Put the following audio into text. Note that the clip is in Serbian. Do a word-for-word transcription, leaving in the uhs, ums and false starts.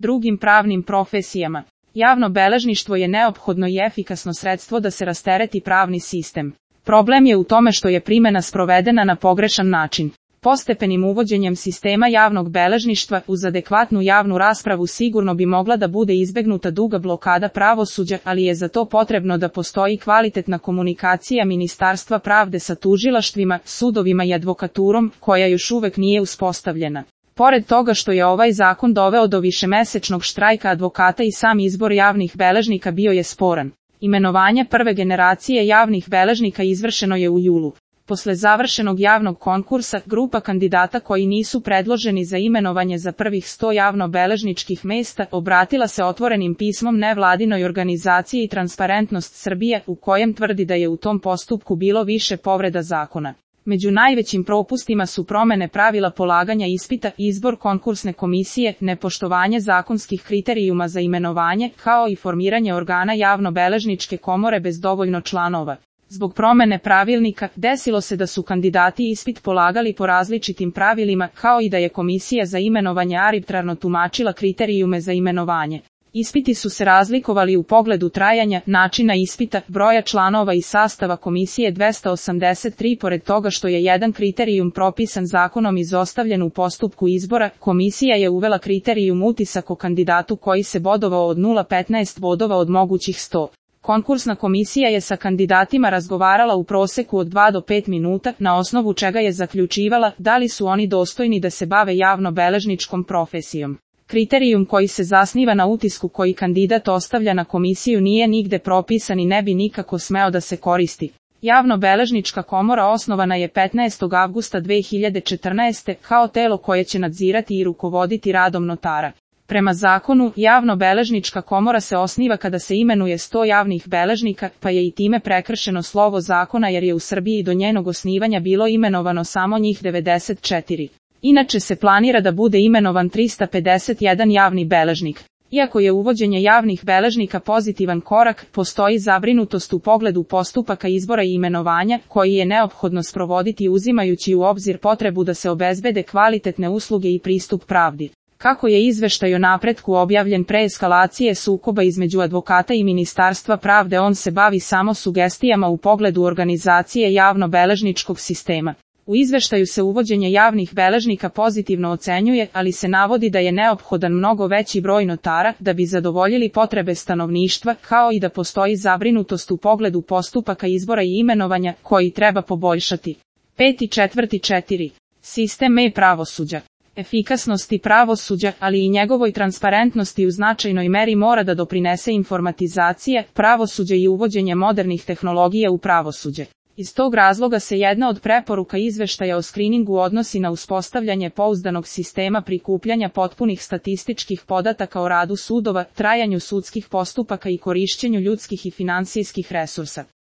drugim pravnim profesijama. Javno beležništvo je neophodno i efikasno sredstvo da se rastereti pravni sistem. Problem je u tome što je primjena sprovedena na pogrešan način. Postepenim uvođenjem sistema javnog beležništva uz adekvatnu javnu raspravu sigurno bi mogla da bude izbegnuta duga blokada pravosuđa, ali je za to potrebno da postoji kvalitetna komunikacija Ministarstva pravde sa tužilaštvima, sudovima i advokaturom, koja još uvek nije uspostavljena. Pored toga što je ovaj zakon doveo do višemesečnog štrajka advokata i sam izbor javnih beležnika bio je sporan. Imenovanje prve generacije javnih beležnika izvršeno je u julu. Posle završenog javnog konkursa, grupa kandidata koji nisu predloženi za imenovanje za prvih sto javno-beležničkih mesta obratila se otvorenim pismom nevladinoj organizaciji Transparentnost Srbije, u kojem tvrdi da je u tom postupku bilo više povreda zakona. Među najvećim propustima su promene pravila polaganja ispita, izbor konkursne komisije, nepoštovanje zakonskih kriterijuma za imenovanje, kao i formiranje organa javno-beležničke komore bez dovoljno članova. Zbog promene pravilnika, desilo se da su kandidati ispit polagali po različitim pravilima, kao i da je komisija za imenovanje arbitrarno tumačila kriterijume za imenovanje. Ispiti su se razlikovali u pogledu trajanja, načina ispita, broja članova i sastava komisije dvesta osamdeset tri. Pored toga što je jedan kriterijum propisan zakonom izostavljen u postupku izbora, komisija je uvela kriterijum utisak o kandidatu koji se bodovao od nula zarez petnaest bodova od mogućih sto. Konkursna komisija je sa kandidatima razgovarala u proseku od dva do pet minuta, na osnovu čega je zaključivala da li su oni dostojni da se bave javno-beležničkom profesijom. Kriterijum koji se zasniva na utisku koji kandidat ostavlja na komisiju nije nigde propisan i ne bi nikako smeo da se koristi. Javno-beležnička komora osnovana je petnaestog avgusta dve hiljade četrnaeste. kao telo koje će nadzirati i rukovoditi radom notara. Prema zakonu, javno-beležnička komora se osniva kada se imenuje sto javnih beležnika, pa je i time prekršeno slovo zakona jer je u Srbiji do njenog osnivanja bilo imenovano samo njih devedeset četiri. Inače se planira da bude imenovan trista pedeset jedan javni beležnik. Iako je uvođenje javnih beležnika pozitivan korak, postoji zabrinutost u pogledu postupaka izbora i imenovanja, koji je neophodno sprovoditi uzimajući u obzir potrebu da se obezbede kvalitetne usluge i pristup pravdi. Kako je izveštaj o napretku objavljen pre eskalacije sukoba između advokata i Ministarstva pravde, on se bavi samo sugestijama u pogledu organizacije javno-beležničkog sistema. U izveštaju se uvođenje javnih beležnika pozitivno ocenjuje, ali se navodi da je neophodan mnogo veći broj notara da bi zadovoljili potrebe stanovništva, kao i da postoji zabrinutost u pogledu postupaka izbora i imenovanja, koji treba poboljšati. Peti četvrti četiri. Sistem e-pravosuđa. Efikasnosti pravosuđa, ali i njegovoj transparentnosti u značajnoj meri mora da doprinese informatizacija pravosuđa i uvođenje modernih tehnologija u pravosuđe. Iz tog razloga se jedna od preporuka izveštaja o skriningu odnosi na uspostavljanje pouzdanog sistema prikupljanja potpunih statističkih podataka o radu sudova, trajanju sudskih postupaka i korišćenju ljudskih i finansijskih resursa.